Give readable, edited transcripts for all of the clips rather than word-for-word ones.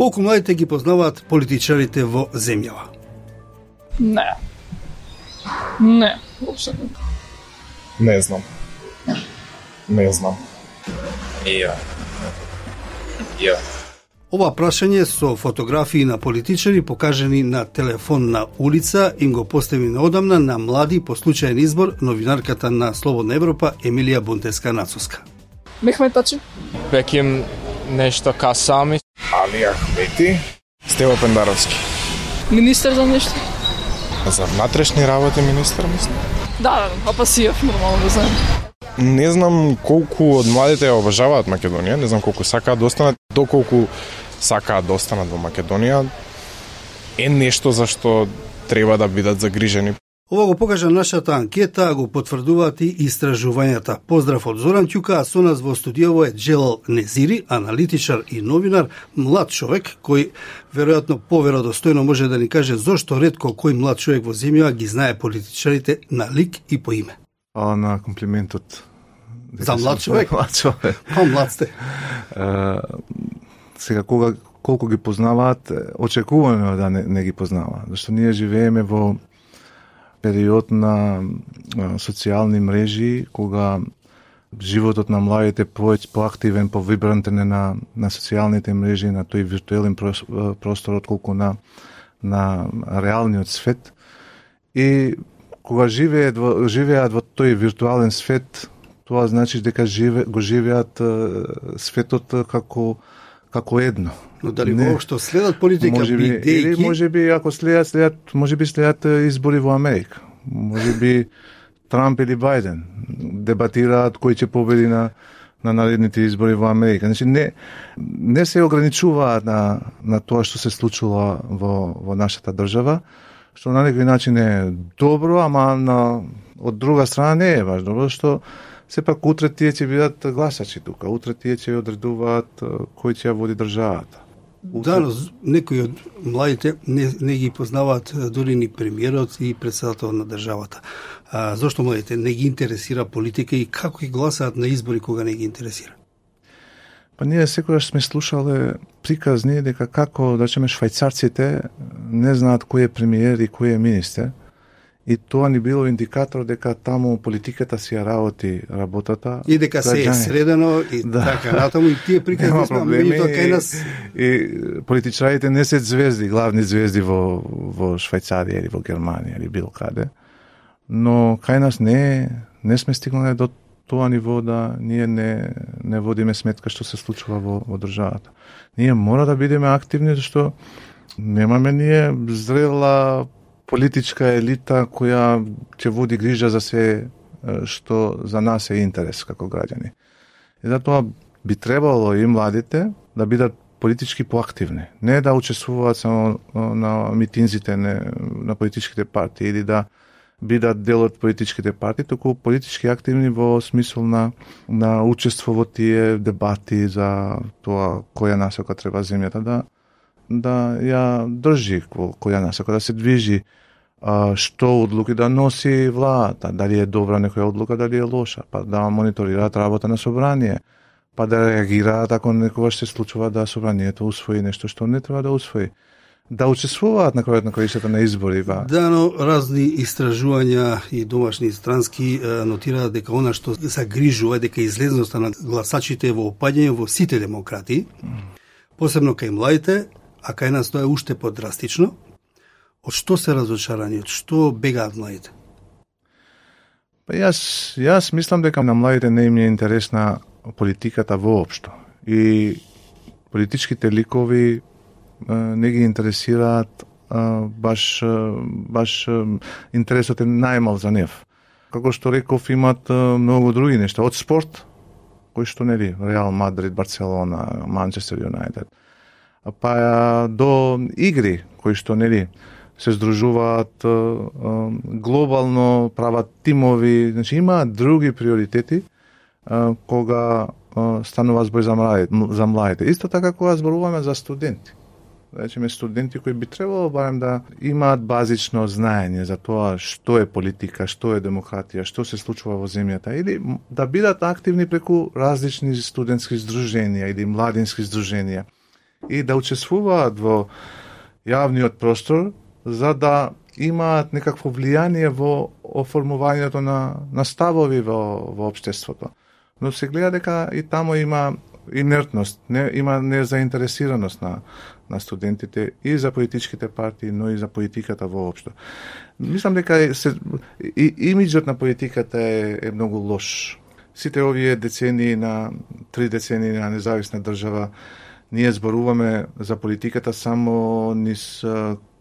Колку младите ги познаваат политичарите во земјава? Не, воопшто не. Не знам. Ја. Ова прашање со фотографии на политичари покажани на телефонна улица им го постави неодамна на млади по случаен избор новинарката на Слободна Европа Емилија Бунтеска-Нацуска. Мехмет Тачи. Беким нешто Касами. Али Ахмети. Стево Пендаровски. Министер за нешто? За внатрешни работи министер, мислам. Да, Апасиев, нормално да знаем. Не знам колку од младите ја обожаваат Македонија, не знам колку сакаат да останат, доколку сакаат да останат во Македонија, е нешто за што треба да бидат загрижени. Ова го покажа нашата анкета, а го потврдуваат и истражувањата. Поздрав од Зоран Ќука, а со нас во студиово е Джелал Незири, аналитичар и новинар, млад човек кој веројатно поверодостојно може да ни каже зошто ретко кој млад човек во земјава ги знае политичарите на лик и по име. На комплиментот. За млад човек? Млад човек. Млад сте. Сега, колку ги познаваат, очекувано да не ги познаваат. Зашто ние живееме во период на социјални мрежи, кога животот на младите поактивен, повибрантен на социјалните мрежи, на тој виртуелен простор, отколку на реалниот свет. И кога живеат во тој виртуален свет, тоа значи дека го живеат светот како едно. Но дали воопшто следат политика бидејќи? Или можеби ако следат избори во Америка. Можеби Трамп или Бајден дебатираат кој ќе победи на наредните избори во Америка. Значи не се ограничуваат на тоа што се случува во нашата држава, што на некој начин е добро, ама од друга страна не е баш добро, што сепак утре тие ќе бидат гласачи тука, утре тие ќе одредуваат кој ќе ја води државата. Да, но некои од младите не ги познаваат дури ни премиерот и председател на државата. Зошто младите не ги интересира политика и како ги гласаат на избори кога не ги интересира? Па ние секогаш сме слушале приказни дека како, да речеме, швајцарците не знаат кој е премиер и кој е министер. И тоа ни било индикатор дека таму политиката си ја работи работата. И дека се е средено и така натаму и тие приказни сме меѓутоа кај нас. И политичарите не се звезди, главни звезди во Швајцарија или во Германија или било каде. Но кај нас не сме стигнале до тоа ниво да ние не водиме сметка што се случува во државата. Ние мора да бидеме активни, зашто немаме ние зрела политичка елита која ќе води грижа за се што за нас е интерес како граѓани. И затоа би требало и младите да бидат политички поактивни, не да учествуваат само на митинзите на политичките партии или да бидат дел од политичките партии, туку политички активни во смисол на учество во тие дебати за тоа која насока треба земјата да ја држи, која насока да се движи, што одлуки да носи владата, дали е добра некоја одлука, дали е лоша, па да мониторираат работа на собрание, па да реагираат ако некогаш се случува да собранието усвои нешто што не треба да усвои. Да учествуваат на крајот на краишата на избори. Да, но разни истражувања и домашни и странски нотираат дека она што загрижува дека излезноста на гласачите е во опаѓање во сите демократии, посебно кај младите, а кај нас тоа е уште подрастично. Од што се разочарани, од што бегаат младите? Па јас мислам дека на младите не им е интересна политиката воопшто. И политичките ликови не ги интересираат баш интересот е најмал за нив. Како што реков, имат многу други нешта, од спорт, кој што нели Реал Мадрид, Барселона, Манчестер Юнајтед, па до игри кои што нели се здружуваат глобално, прават тимови, значи имаат други приоритети кога станува збор за младите. Исто така кога зборуваме за студенти. Речеме студенти кои би требало барем да имаат базично знаење за тоа што е политика, што е демократија, што се случува во земјата, или да бидат активни преку различни студентски здруженија или младински здруженија, и да учествуваат во јавниот простор за да имаат некакво влијание во оформувањето на ставови во општеството. Но се гледа дека и тамо има инертност, има незаинтересираност на студентите и за политичките партии, но и за политиката воопшто. Мислам дека имиджот на политиката е многу лош. Сите овие децении три децении на независна држава, ние зборуваме за политиката само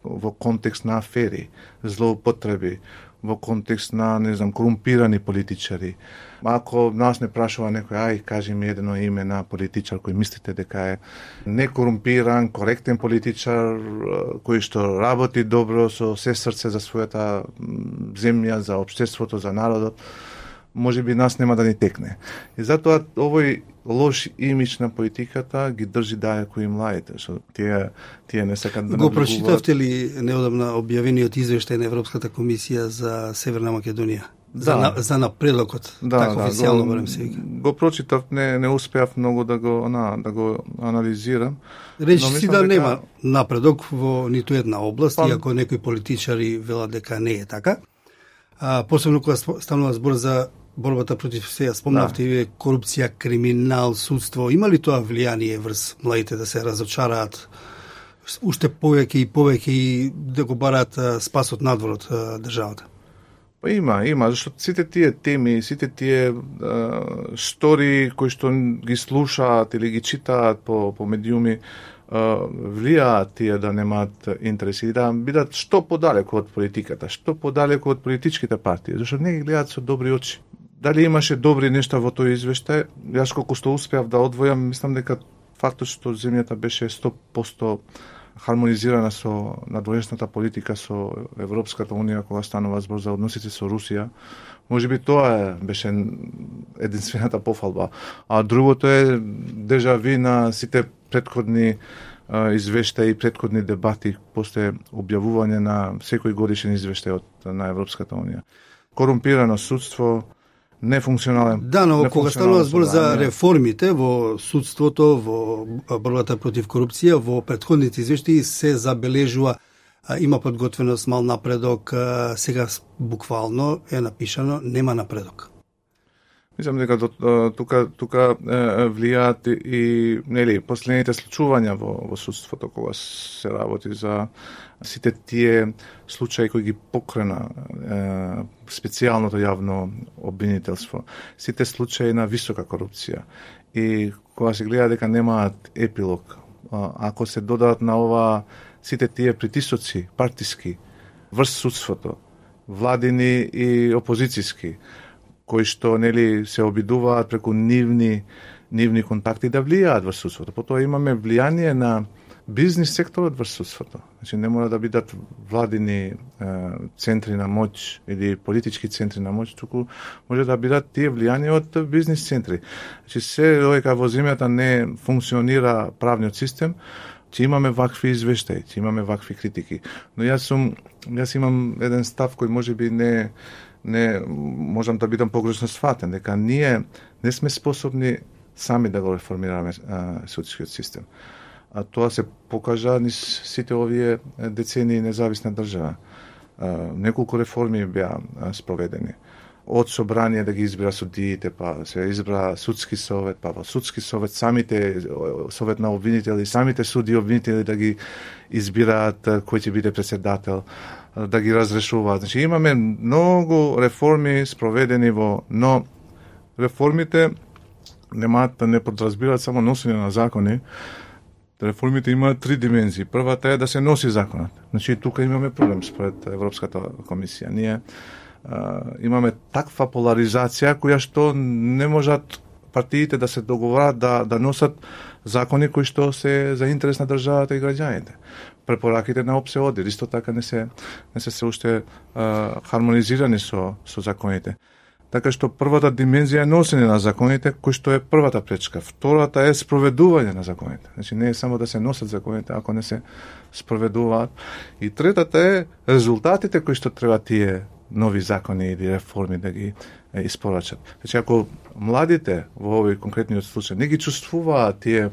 во контекст на афери, злоупотреби, во контекст на, корумпирани политичари. Ако нас не прашува некој, кажи ми едно име на политичар кој мислите дека е некорумпиран, коректен политичар, кој што работи добро со се срце за својата земја, за општеството, за народот, може би нас нема да ни текне. И затоа овој лош имидж на политиката ги држи далеку и младите, што тие не сакат да го прочитавте ли неодамна објавениот извештај на Европската комисија за Северна Македонија? Да. За напредокот, така официјално барем се вика. Го прочитав, не успеав многу да го анализирам. Речи си да нема напредок во ниту една област, иако некои политичари велат дека не е така. Посебно кога станува збор за борбата против сега спомнавте вие корупција, криминал, судство, има ли тоа влијание врз младите да се разочараат уште повеќе и да го бараат спасот надвор од државата? Па има, зашто сите тие теми, сите тие стори кои што ги слушаат или ги читаат по медиуми, влијаат тие да немаат интереси и да бидат што подалеку од политиката, што подалеку од политичките партии, зашто не ги гледаат со добри очи. Дали имаше добри нешта во тој извештај? Јас колку што успеав да одвојам, мислам дека фактот што земјата беше 100% хармонизирана со надворешната политика со Европската унија кога станува збор за односите со Русија, можеби тоа беше единствената пофалба. А другото е дежави на сите претходни извештаи и претходни дебати после објавување на секој годишен извештај на Европската унија. Корумпирано судство, нефункционален. Да, но кога станува збор за реформите во судството, во борбата против корупција, во претходните извештаи се забележува има подготвеност, мал напредок, сега буквално е напишано нема напредок. Мислам дека тука влијаат и последните случувања во судството кога се работи за сите тие случаи кои ги покрена специјалното јавно обвинителство, сите случаи на висока корупција и кога се гледа дека немаат епилог, ако се додадат на ова сите тие притисоци партиски врз судството, владини и опозициски, кои што се обидуваат преку нивни контакти да влијаат врз судството. Потоа имаме влијание на бизнис секторот врз судството. Значи не мора да бидат владини центри на моќ или политички центри на моќ, туку може да бидат тие влијани од бизнис центри. Значи се додека во земјата не функционира правниот систем, ќе имаме вакви извештаи, ќе имаме вакви критики. Но јас имам еден став кој можеби не можам да бидам погрешно сватен, дека ние не сме способни сами да го реформираме судскиот систем. А тоа се покажа низ сите овие децении независна држава. Неколку реформи беа спроведени. Од собрание да ги избира судиите, па се избра судски совет, па во судски совет самите совет на обвинители, самите суди обвинители да ги избираат кој ќе биде председател, да ги разрешуваат. Значи имаме многу реформи спроведени но реформите не подразбираат само носење на закони. Реформите имаат три димензии. Првата е да се носи законот. Значи тука имаме проблем според Европската комисија. Ние имаме таква поларизација која што не можат партиите да се договорат да носат закони кои што се за интерес на државата и граѓаните. Препораките на ОПСЕ исто така не се уште хармонизирани со законите. Така што првата димензија е носење на законите, кој што е првата пречка. Втората е спроведување на законите. Значи не е само да се носат законите, ако не се спроведуваат. И третата е резултатите кои што треба тие нови закони или реформи да ги испорачат. Значи ако младите во овој конкретниот случај не ги чувствуваат тие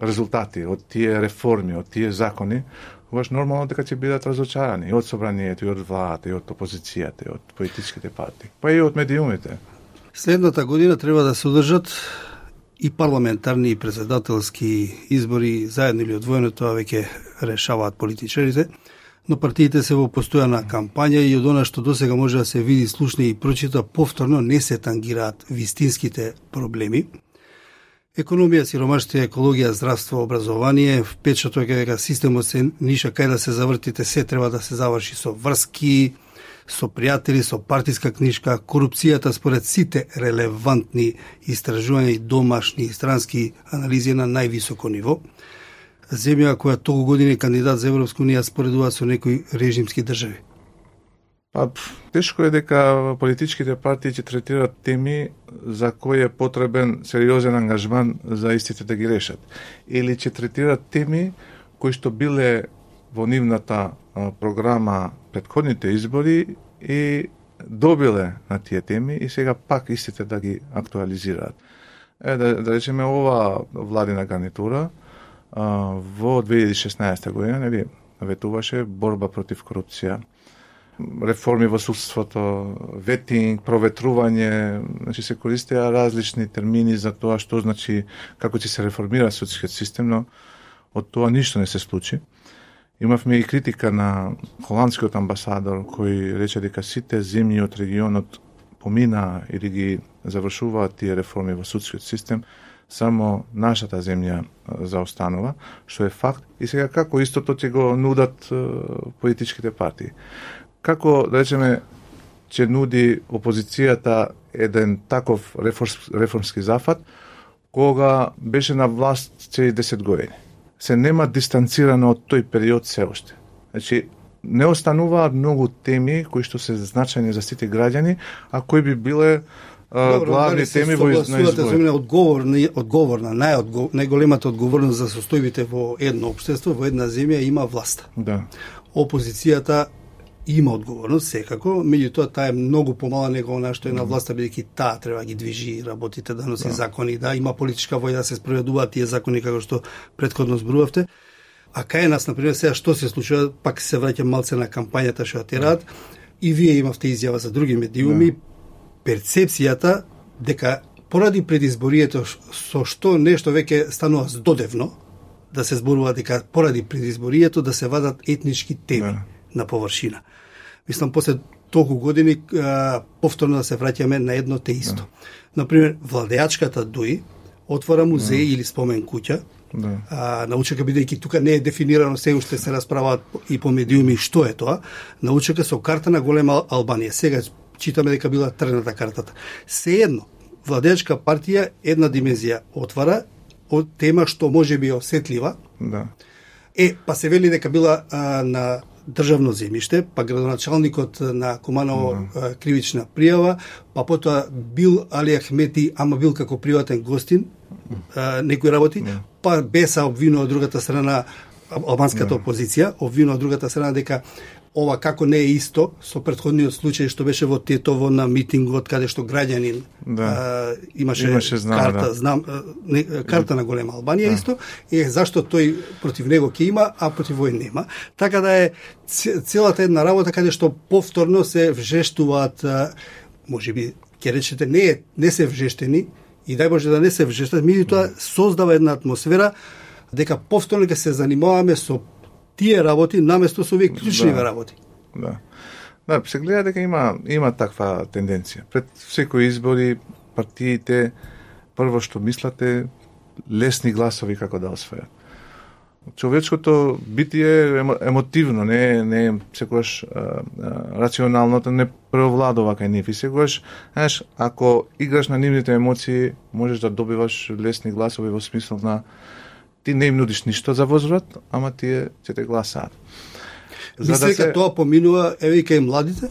резултати од тие реформи, од тие закони, тогаш нормално дека ќе бидат разочарани и од собранието, и од владата, и од опозицијата, и од политичките партии, па и од медиумите. Следната година треба да се одржат и парламентарни и председателски избори заедно или одвоено, тоа веќе решаваат политичарите, но партиите се во постојана кампања и од она што досега може да се види, слушне и прочита, повторно не се тангираат вистинските проблеми. Економија, сиромаштво, екологија, здравство, образование, впечаток е дека системот се ниша кај да се завртите, се треба да се заврши со врски, со пријатели, со партиска книжка, корупцијата според сите релевантни истражувања и домашни и странски анализи на највисоко ниво. Земја која толку години кандидат за Европска унија споредува со некои режимски држави. Па, тешко е дека политичките партии ќе третираат теми за кои е потребен сериозен ангажман за истите да ги решат. Или ќе третираат теми кои што биле во нивната програма предходните избори и добиле на тие теми и сега пак истите да ги актуализираат. Да речеме, ова владина гарнитура во 2016 година, нели, ветуваше борба против корупција, реформи во судството, ветинг, проветрување, значи се користеа различни термини за тоа што значи како ќе се реформира судскиот систем, но од тоа ништо не се случи. Имавме и критика на холандскиот амбасадор кој рече дека сите земји од регионот помина или ги завршуваат тие реформи во судскиот систем, само нашата земја заостанува, што е факт. И сега како истото ќе го нудат политичките партии? Како, да речеме, ќе нуди опозицијата еден таков реформски зафат, кога беше на власт цели 10 години? Се нема дистанцирано од тој период се уште. Значи, не остануваат многу теми кои што се значајни за сите граѓани, а кои би биле главни теми во изборите. Одговорна, најголемата одговорност за состојбите во едно општество, во една земја има власта. Да. Опозицијата има одговорност, секако, меѓутоа таа е многу помала него она што е на власта, бидејќи таа треба ги движи работите, да носи закони, да има политичка воља да се спроведуваат тие закони како што претходно зборувавте. А кај нас, например, сега што се случува, пак се враќам малце на кампањата што ја терат, и вие имавте изјава за други медиуми, перцепцијата дека поради предизборието со што нешто веќе станува здодевно, да се зборува дека поради предизборието да се вадат етнички теми на површина. Мислам, после толку години повторно да се враќаме на едно те исто. Например, владеачката ДУИ отвора музеј или спомен куќа, научека, бидејќи тука не е дефинирано, се уште се расправаат и по медиуми што е тоа, научека со карта на голема Албанија. Сега читаме дека била тргната картата. Сеедно, владеачка партија една димензија отвара од тема што може би осетлива. Па се вели дека била на државно земјиште, па градоначалникот на Куманово кривична пријава, па потоа бил Али Ахмети, ама бил како приватен гостин, некои работи, па Беса обвинува од другата страна, албанската опозиција, обвинува од другата страна дека ова како не е исто со претходниот случај што беше во Тетово на митингот каде што граѓанин имаше карта, карта на голема Албанија исто, зашто тој против него ќе има, а против овој нема. Така да е целата една работа каде што повторно се вжештуваат, можеби ќе речете не се вжештени и дај Боже да не се вжештат, меѓутоа создава една атмосфера дека повторно ќе се занимаваме со тие работи наместо со овие клучниве работи. Да, се гледа дека има таква тенденција. Пред секои избори партиите прво што мислате лесни гласови како да освојат. Човечкото битие е емотивно, не секогаш рационалното не преовладува кај нив и секогаш, знаеш, ако играш на нивните емоции, можеш да добиваш лесни гласови во смисла на ти не им нудиш ништо за возврат, ама тие ќе те гласаат. Мислите дека тоа поминува еве и кај младите?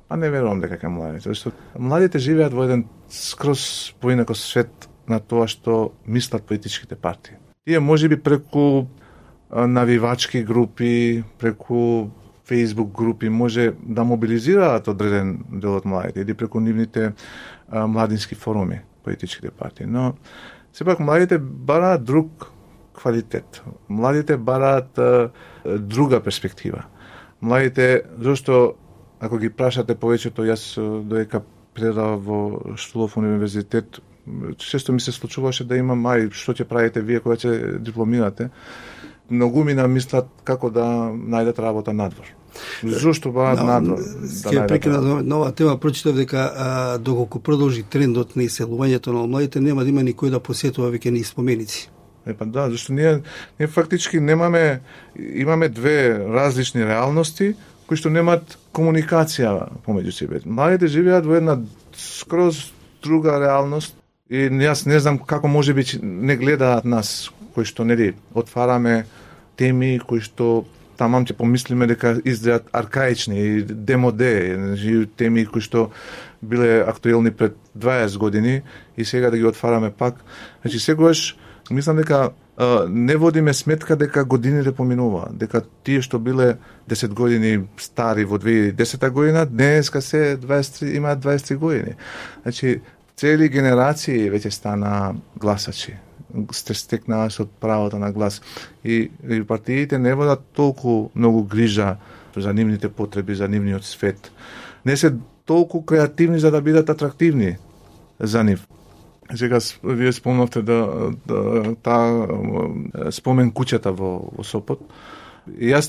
А не верувам дека кај младите, зашто младите живеат во еден скроз поинако свет на тоа што мислат политичките партии. Тие можеби преку навивачки групи, преку Facebook групи може да мобилизираат одреден дел од младите или преку нивните младински форуми политичките партии, но сепак младите бараат друг квалитет. Младите бараат друга перспектива. Младите, зашто ако ги прашате повеќето, јас доека предавав во Штулов универзитет, често ми се случуваше да имам, што ќе правите вие кога ќе дипломирате? Многумина мислат како да најдат работа надвор. Зошто бараат надвор? Ќе прекинам на оваа тема, прочитав дека доколку продолжи трендот на иселувањето на младите, нема да има никој да посетува веќе ни споменици. Да, зашто ние фактички имаме две различни реалности кои што немаат комуникација помеѓу себе. Младите живеат во една скроз друга реалност и јас не знам како можеби не гледаат нас, кои што нели отвараме теми кои што тамам ќе помислиме дека изгледат аркаични и демоде, теми кои што биле актуелни пред 20 години и сега да ги отвараме пак. Значи секогаш мислам дека не водиме сметка дека годините поминуваат, дека тие што биле 10 години стари во 2010 година, денеска се 23, имаат 23 години. Значи, цели генерации веќе стана гласачи, стекнаа со правото на глас. И партиите не водат толку многу грижа за нивните потреби, за нивниот свет. Не се толку креативни за да бидат атрактивни за нив. Сега вие спомнавте таа спомен куќата во Сопот. И јас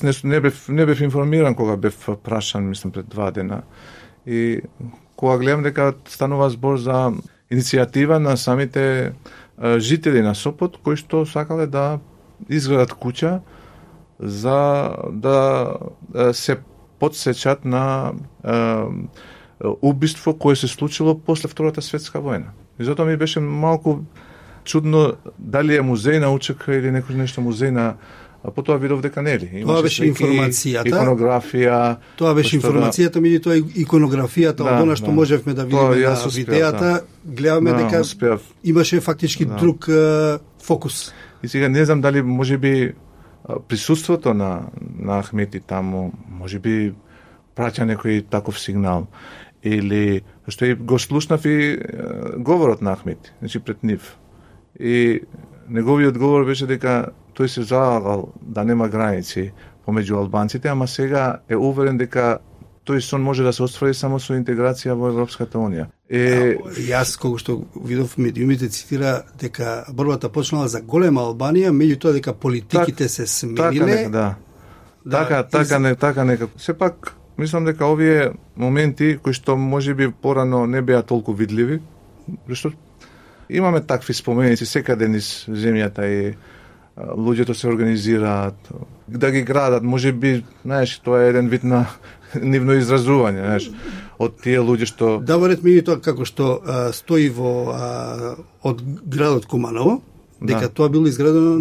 не бев информиран кога бев прашан, мислам пред 2 дена. И кога гледам дека станува збор за иницијатива на самите жители на Сопот кои што сакале да изградат куќа за да се потсечат на убиство кое се случило после Втората светска војна. И затоа ми беше малку чудно дали е музеј на УЧК или некој нешто музеј на, потоа видов дека нели. Тоа беше информацијата. Иконографија. Тоа беше информацијата, меѓутоа иконографијата од она што можевме да видиме на видеата, гледаме дека имаше фактички друг фокус. И сега не знам дали можеби присуството на Ахмети таму, можеби праќа некој таков сигнал. Или што и го слушнав и говорот на Ахмети, значи пред нив. И неговиот говор беше дека тој се залагал да нема граници помеѓу албанците, ама сега е уверен дека тој сон може да се оствари само со интеграција во Европската унија. Јас кога што видов медиумите цитира дека борбата почнала за голема Албанија, меѓутоа дека политиките се смениле. Така нека. Сепак мислам дека овие моменти кои што можеби порано не беа толку видливи, зашто имаме такви споменици секаде низ земјата и луѓето се организираат, да ги градат, можеби, знаеш, тоа е еден вид на нивно изразување, знаеш, од тие луѓе што да во ред тоа како што стои во од градот Куманово, дека тоа било изградено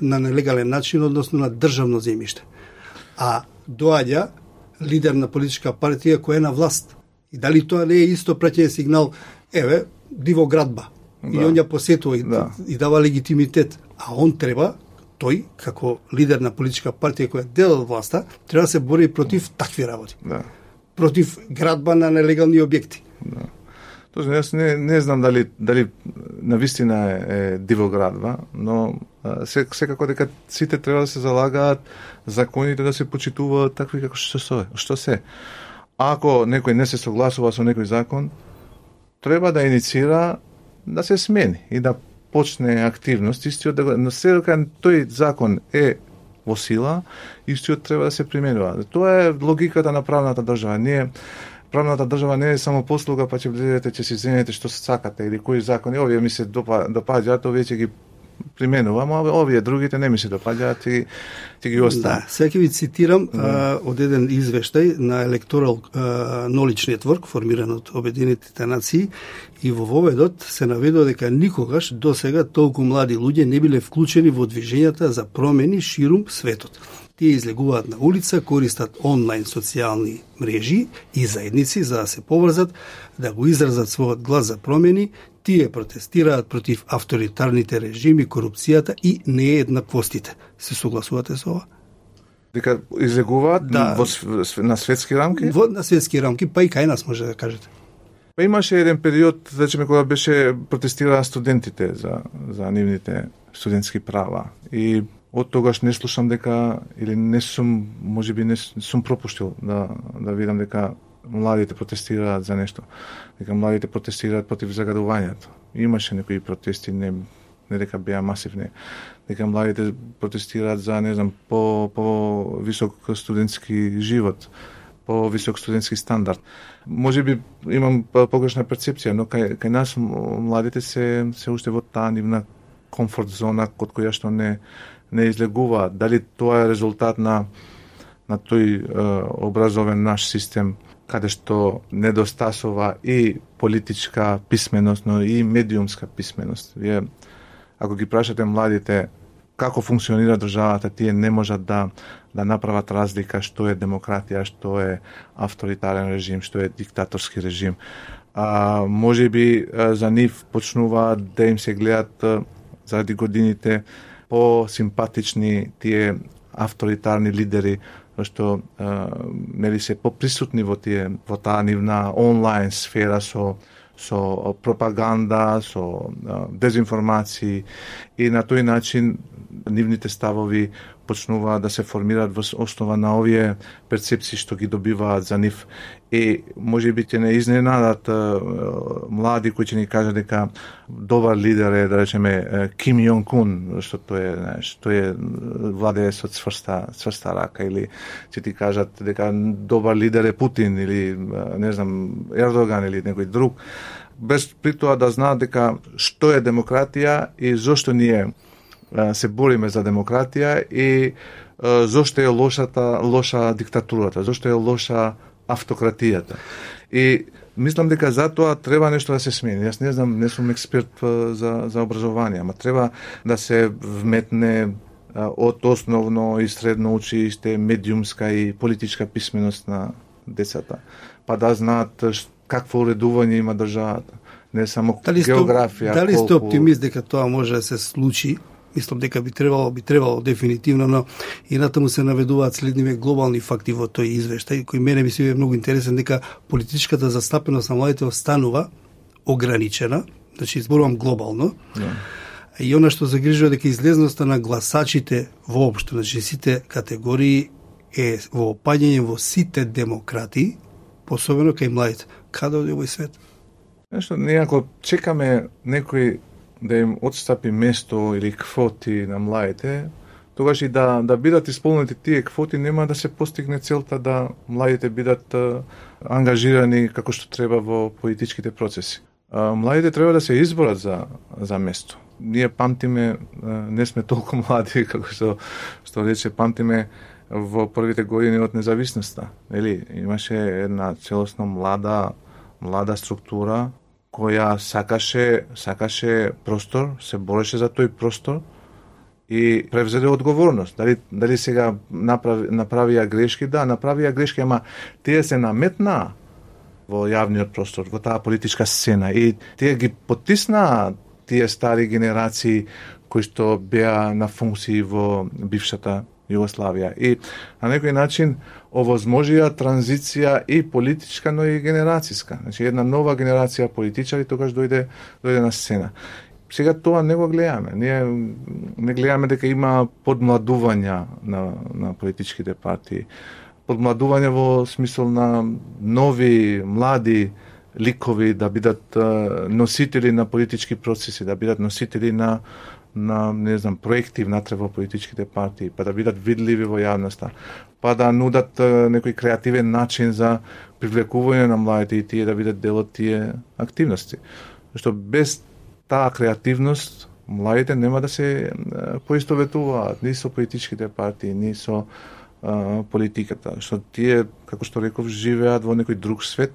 на нелегален начин, односно на државно земјиште. А доаѓа лидер на политичка партија која е на власт. И дали тоа не е исто праќање сигнал, еве, диво градба. И он ја посетува и дава легитимитет. А он треба, тој, како лидер на политичка партија која дел од власта, треба да се бори против такви работи. Против градба на нелегални објекти. Точно, јас не знам дали навистина е диво градба, но секако дека сите треба да се залагаат законите да се почитуваат такви како што се. Ако некој не се согласува со некој закон, треба да иницира да се смени и да почне активност, истиот но се дека тој закон е во сила, истиот треба да се применува. Тоа е логиката на правната држава. Правната држава не е само послуга, па ќе влезете, ќе си земете што сакате или кои закони, овие ми се допаѓаат, овие ќе ги применувам, а овие другите не ми се допаѓаат и ќе ги оставам. Да, сега ќе ви цитирам од еден извештај на Electoral Knowledge Network, формиран од Обединетите нации, и во воведот се наведува дека никогаш досега толку млади луѓе не биле вклучени во движењата за промени ширум светот. Тие излегуваат на улица, користат онлайн социјални мрежи и заедници за да се поврзат, да го изразат својот глас за промени. Тие протестираат против авторитарните режими, корупцијата и нееднаквостите. Се согласувате со ова? Дека излегуваат на светски рамки? На светски рамки, па и кај нас може да кажете. Па имаше еден период, речеме, кога беше протестираа студентите за нивните студентски права. И од тогаш не слушам дека, или не сум, можеби не сум пропуштил да видам дека младите протестираат за нешто. Дека младите протестираат против загадувањето. Имаше некои протести, не дека беа масивни. Дека младите протестираат за, не знам, по висок студентски живот, по висок студентски стандард. Можеби имам погрешна перцепција, но кај нас младите се уште во таа нивна комфорт зона од која што не излегуваат. Дали тоа е резултат на тој образовен наш систем, каде што недостасува и политичка писменост, но и медиумска писменост. Вие, ако ги прашате младите како функционира државата, тие не можат да направат разлика што е демократија, што е авторитарен режим, што е диктаторски режим. Може би за нив почнуваат да им се гледат заради годините по-симпатични тие авторитарни лидери, што нели се поприсутни во таа нивна онлайн сфера со пропаганда, со дезинформации, и на тој начин нивните ставови почнуваат да се формираат во основа на овие перцепции што ги добиваат за нив. И може би ќе не изненадат млади кои ќе ни кажат дека добар лидер е, да речеме, Ким Јонг Ун, што тој е владее со цврста рака, или ќе ти кажат дека добар лидер е Путин, или не знам, Ердоган или некој друг, без при тоа да знаат дека што е демократија и зошто ние се бориме за демократија и зошто е лоша диктатурата, зошто е лоша автократијата. И мислам дека затоа треба нешто да се смени. Јас не знам, не сум експерт за образование, ама треба да се вметне од основно и средно училиште медиумска и политичка писменост на децата, па да знаат какво уредување има државата, не само географија. Дали сте оптимист дека тоа може да се случи? Мислам дека би требало дефинитивно, но и натаму се наведуваат следниве глобални факти во тој извештај, кој мене ми се е многу интересен, дека политичката застапеност на младите останува ограничена, значи изборувам глобално. И она што загрижува дека излезноста на гласачите воопшто, значи сите категории е во опаѓање во сите демократии, посебено кај младите. Каде оди овој свет? Нешто, ние ако чекаме некој да им отстапи место или квоти на младите, тогаш и да бидат исполнети тие квоти, нема да се постигне целта да младите бидат ангажирани како што треба во политичките процеси. Младите треба да се изборат за место. Ние памтиме, не сме толку млади, како што рече, памтиме во првите години од независноста. Имаше една целосно млада структура која сакаше простор, се бореше за тој простор и превзеде одговорност. Дали сега направија грешки? Да, направија грешки, ама тие се наметнаа во јавниот простор, во таа политичка сцена, и тие ги потиснаа тие стари генерации кои што беа на функции во бившата Југославија. И на некој начин овозможија транзиција и политичка, но и генерацијска. Значи една нова генерација политичари тогаш дојде на сцена. Сега тоа не го гледаме. Ние не гледаме дека има подмладување на политичките партии. Подмладување во смисол на нови, млади ликови да бидат носители на политички процеси, да бидат носители на не знам, проекти внатре во политичките партии, па да бидат видливи во јавноста, па да нудат некој креативен начин за привлекување на младите и тие да бидат дел од тие активности. Зашто без таа креативност младите нема да се поистоветуваат ни со политичките партии, ни со политиката. Што тие, како што реков, живеат во некој друг свет,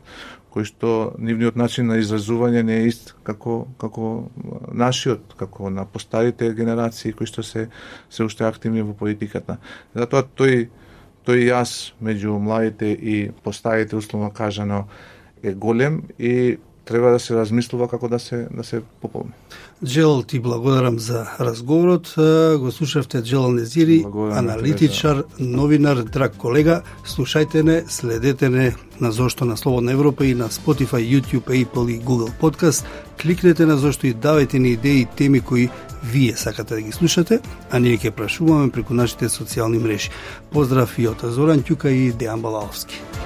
кој што нивниот начин на изразување не е ист како нашиот, како на постарите генерации кои што се уште активни во политиката. Затоа тој јас меѓу младите и постарите, условно кажано, е голем, и треба да се размислува како да се пополни. Джелал, ти благодарам за разговорот. Го слушавте Джелал Незири, аналитичар, новинар, драг колега. Слушајте не, следете не на Зошто на Слободна Европа и на Spotify, YouTube, Apple и Google Podcast. Кликнете на Зошто и давајте ни идеи и теми кои вие сакате да ги слушате, а ние ќе прашуваме преку нашите социјални мрежи. Поздрав и од Зоран Ќука и Дејан Балаловски.